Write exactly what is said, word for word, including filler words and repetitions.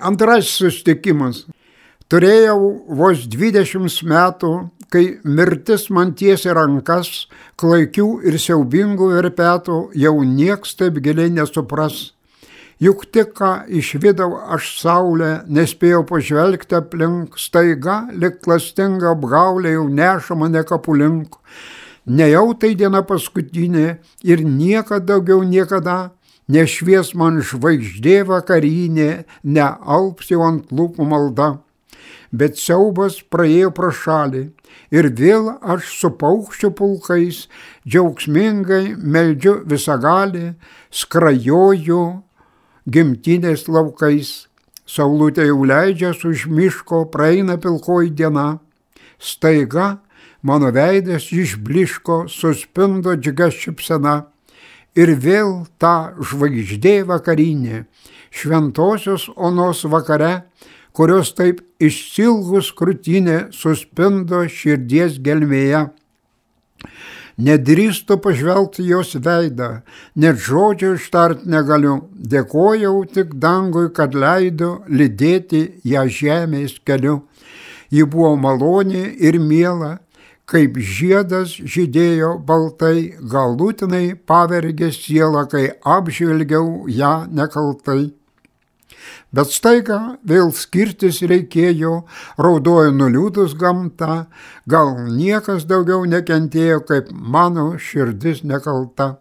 Antrasis susitikimas. Turėjau vos dvidešimt metų, kai mirtis man tiesė rankas, klaikių ir siaubingų verpetų jau nieks taip giliai nesupras. Juk tik ką išvydau aš saulę, nespėjau pažvelgti aplink, staiga, lyg klastinga apgaulė jau neša mane kapų link. Nejau tai diena paskutinė ir niekad daugiau niekada nešvies man žvaigždė vakarinė, nealps jau ant lūpų malda. Bet siaubas praėjo pro šalį ir vėl aš su paukščių pulkais džiaugsmingai meldžiu visagalį, skrajoju gimtinės laukais. Saulutė jau leidžias už miško, praeina pilkoji diena. Staiga mano veidas išbliško, suspindo džiugia šypsena. Ir vėl ta žvaigždė vakarinė, šventosios onos vakare, kurios taip išsilgus krūtinė suspindo širdies gelmėje. Nedrįstu pažvelgti jos veidą, net žodžio ištart negaliu, dėkojau tik dangui, kad leido lydėti ją žemės keliu. Ji buvo maloni ir miela, kaip žiedas žydėjo baltai, galutinai pavergė sielą, kai apžvelgiau ją nekaltai. Bet staiga vėl skirtis reikėjo, raudojo nuliūdus gamta, gal niekas daugiau nekentėjo, kaip mano širdis nekalta.